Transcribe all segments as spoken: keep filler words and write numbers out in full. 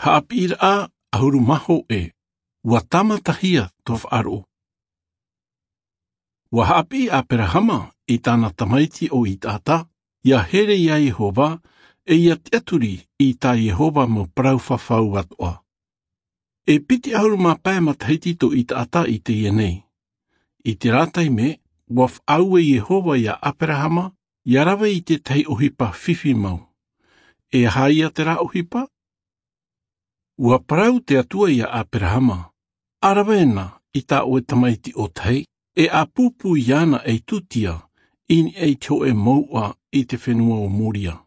Haʻapiʻiraʻa ʻahuru mā hōʻē. Ua tāmatahia tō faʻaroʻo. Ua haʻapiʻi ʻaperahama i tāna tamaiti ʻo itaʻata ia here iā iehova, ʻe ia tiʻaturi i tā iehova mau parau fafau atoʻa. E piti ʻahuru mā pae matahiti tō itaʻata i teie nei. I terā taime ua faʻaue iehova iā ʻaperahama ia rave i te tahi ʻohipa fifi mau. E aha ia terā ʻohipa? Ua parau te atua iā ʻaperahama, ʻa rave na i tā ʻoe tamaiti ʻōtahi, ʻe ʻa pūpū iāna ei tūtia i niʻa i te hōʻē mouʻa i te fenua o moria.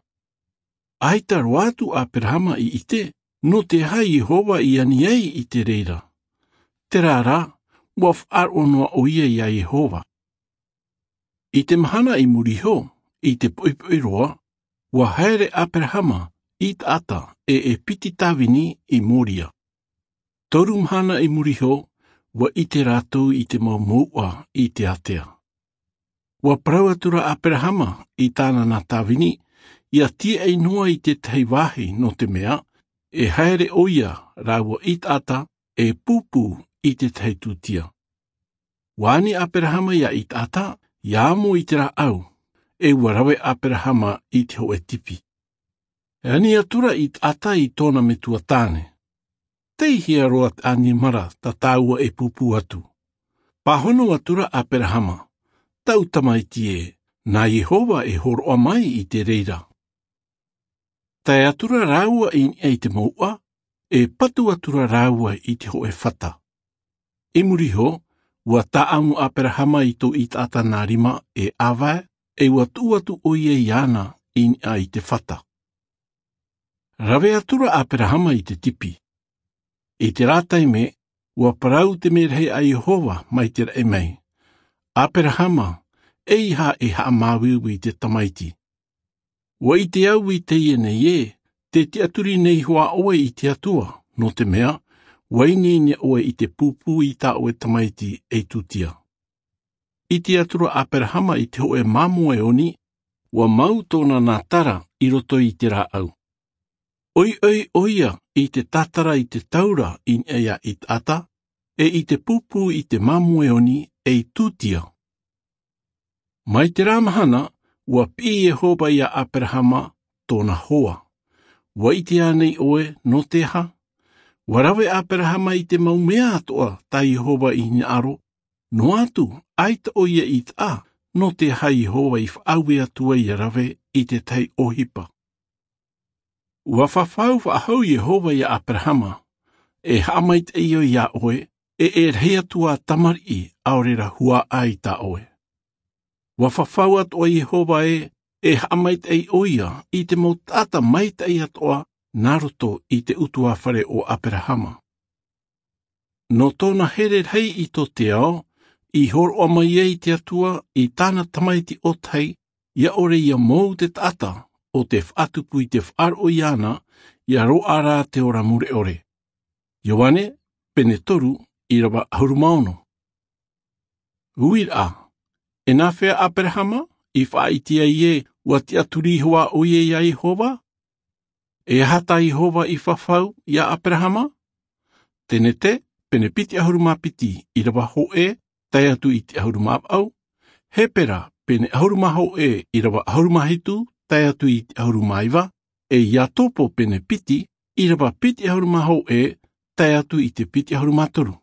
ʻAita roa atu ʻaperahama i ʻite nō te aha iehova i ani ai i te reira. Terā rā, ua faʻaroʻo noa ʻoia iā iehova. I te mahana i muri iho, i te poʻipoʻi roa, ua haere ʻaperahama i taʻata ʻe e piti tāvini i moria. Toru mahana i muri iho, ua ʻite rātou i te mau mouʻa i te ātea. Ua parau atu rā ʻaperahama i tāna nā tāvini ia tiaʻi noa i te tahi vāhi, nō te mea e haere ʻoia rāua i taʻata e pūpū i te tahi tūtia. Ua ani ʻaperahama iā itaʻata ia amo i te rāʻau, ʻe ua rave ʻaperahama i te hōʻē tipi. E ani atu rā itaʻata i tōna metua tāne, tei hea roa te ʻanimara tā tāua e pūpū atu? Pāhono atu rā ʻaperahama, tau tamaiti ē, nā iehova e hōroʻa mai i te reira. Tae atu rā rāua i niʻa i te mouʻa, e patu atu rā rāua i te hōʻē fata. I muri iho, ua tāʻamu ʻaperahama i tō itaʻata nā rima e ʻāvae, ʻe ua tuʻu atu ʻoia iāna i niʻa i te fata. Rave atu rā ʻaperahama i te tipi. I terā taime, ua parau te merahi a iehova mai te raʻi mai, ʻaperahama, ʻeiaha e haʻamāuiui i te tamaiti. Ua ʻite au i teie nei ē, te tiʻaturi nei hoʻi ʻoe i te atua, nō te mea ua ineine ʻoe i te pūpū i tā ʻoe tamaiti ei tūtia. I te atura ʻaperahama i te hōʻē māmoe oni, ua mau tōna nā tara i roto i te rāʻau. ʻOiʻoi ʻoia i te tātara i te taura i niʻa iā itaʻata, ʻe i te pūpū i te māmoe oni ei tūtia. Mai terā mahana, ua piʻi iehova iā ʻaperahama tōna hoa. Ua ʻite ānei ʻoe nō te aha? Ua rave ʻaperahama i te mau mea atoʻa tā iehova i hinaʻaro, noa atu ʻaita ʻoia i taʻa nō te aha iehova i faʻaue atu ai ia rave i te tahi ʻohipa. Ua fafau faʻahou iehova iā ʻaperahama, e haʻamaitaʻi au iā ʻoe, ʻe e rahi atu ā tamariʻi ʻaore rā huaʻai tā ʻoe. Ua fafau atoʻa iehova ē, e haʻamaitaʻi ʻoia i te mau taʻata maitaʻi atoʻa nā roto i te ʻutuāfare o ʻaperahama. Nō tōna here rahi i tō te ao, i hōroʻa mai ai te atua i tāna tamaiti ʻōtahi, ia ʻore ia mou te taʻata o te faʻatupu i te faʻaroʻo iāna, ia roaʻa rā te ora mure ʻore. Ioane, pene toru, ʻīrava ʻahuru mā ono. Uiraʻa, e nāfea ʻaperahama i faʻaʻite ai ē ua tiʻaturi hoʻi ʻoia iā iehova? E aha tā iehova i fafau iā ʻaperahama? Tenete, pene piti ʻahuru mā piti, ʻīrava hōʻē tae atu i te ʻahuru mā vaʻu. Hepera, pene ʻahuru mā hōʻē, ʻīrava ʻahuru mā hitu tae atu i te ʻahuru mā iva. ʻE iakobo, pene piti, ʻīrava piti ʻahuru mā hōʻē tae atu i te piti ʻahuru mā toru.